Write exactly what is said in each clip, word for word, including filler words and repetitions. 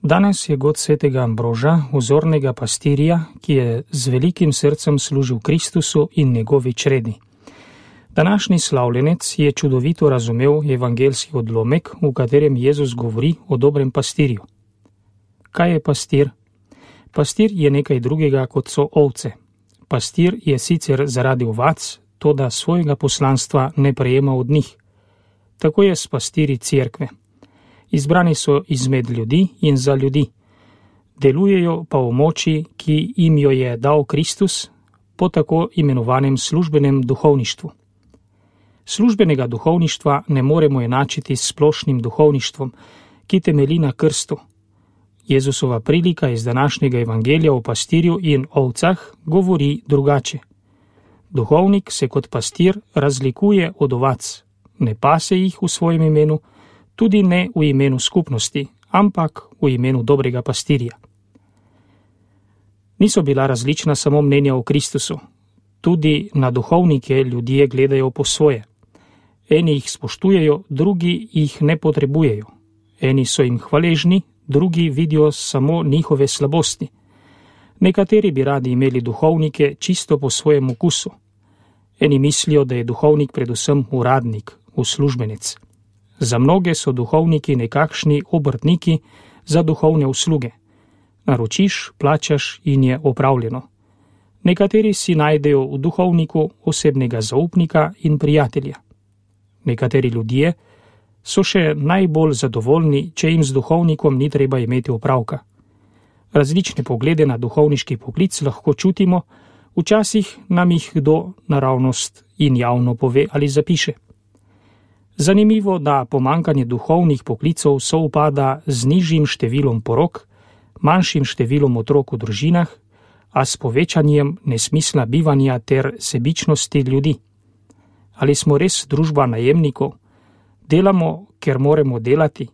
Danes je god svetega Ambroža, vzornega pastirja, ki je z velikim srcem služil Kristusu in njegovi čredi. Današnji slavljenec je čudovito razumel evangeljski odlomek, v katerem Jezus govori o dobrem pastirju. Kaj je pastir? Pastir je nekaj drugega, kot so ovce. Pastir je sicer zaradi ovac, toda svojega poslanstva ne prejema od njih. Tako je s pastirji cerkve. Izbrani so izmed ljudi in za ljudi. Delujejo pa v moči, ki jim jo je dal Kristus, po tako imenovanem službenem duhovništvu. Službenega duhovništva ne moremo enačiti s splošnim duhovništvom, ki temelji na krstu. Jezusova prilika iz današnjega evangelija o pastirju in ovcah govori drugače. Duhovnik se kot pastir razlikuje od ovac, ne pase jih v svojem imenu, tudi ne v imenu skupnosti, ampak v imenu dobrega pastirja. Niso bila različna samo mnenja o Kristusu. Tudi na duhovnike ljudje gledajo po svoje. Eni jih spoštujejo, drugi jih ne potrebujejo. Eni so jim hvaležni, drugi vidijo samo njihove slabosti. Nekateri bi radi imeli duhovnike čisto po svojem okusu. Eni mislijo, da je duhovnik predvsem uradnik, uslužbenec. Za mnoge so duhovniki nekakšni obrtniki za duhovne usluge. Naročiš, plačaš in je opravljeno. Nekateri si najdejo v duhovniku osebnega zaupnika in prijatelja. Nekateri ljudje so še najbolj zadovoljni, če jim z duhovnikom ni treba imeti opravka. Različne poglede na duhovniški poklic lahko čutimo, včasih nam jih kdo naravnost in javno pove ali zapiše. Zanimivo, da pomankanje duhovnih poklicov sovpada z nižjim številom porok, manjšim številom otrok v družinah, a s povečanjem nesmisla bivanja ter sebičnosti ljudi. Ali smo res družba najemnikov? Delamo, ker moramo delati?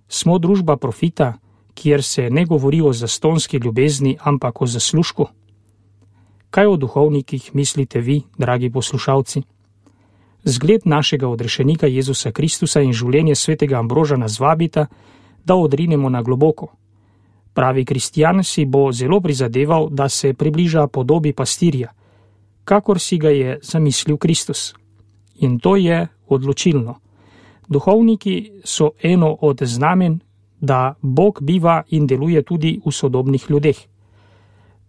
Smo družba profita, kjer se ne govori o zastonski ljubezni, ampak o zaslužku? Kaj o duhovnikih mislite vi, dragi poslušalci? Zgled našega odrešenika Jezusa Kristusa in življenje svetega Ambroža nas vabita, da odrinemo na globoko. Pravi kristjan si bo zelo prizadeval, da se približa podobi pastirja, kakor si ga je zamislil Kristus. In to je odločilno. Duhovniki so eno od znamen, da Bog biva in deluje tudi v sodobnih ljudeh.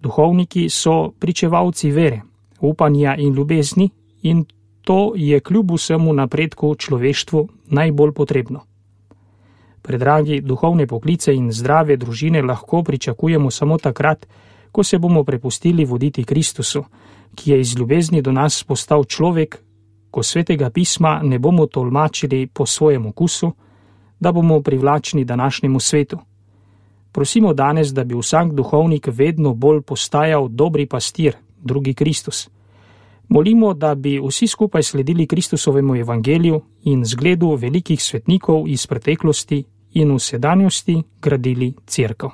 Duhovniki so pričevalci vere, upanja in ljubezni in to je kljub vsemu napredku človeštvu najbolj potrebno. Predragi, duhovne poklice in zdrave družine lahko pričakujemo samo takrat, ko se bomo prepustili voditi Kristusu, ki je iz ljubezni do nas postal človek, ko svetega pisma ne bomo tolmačili po svojem okusu, da bomo privlačni današnjemu svetu. Prosimo danes, da bi vsak duhovnik vedno bolj postajal dobri pastir, drugi Kristus. Molimo, da bi vsi skupaj sledili Kristusovemu evangeliju in zgledu velikih svetnikov iz preteklosti in v sedanjosti gradili cerkev.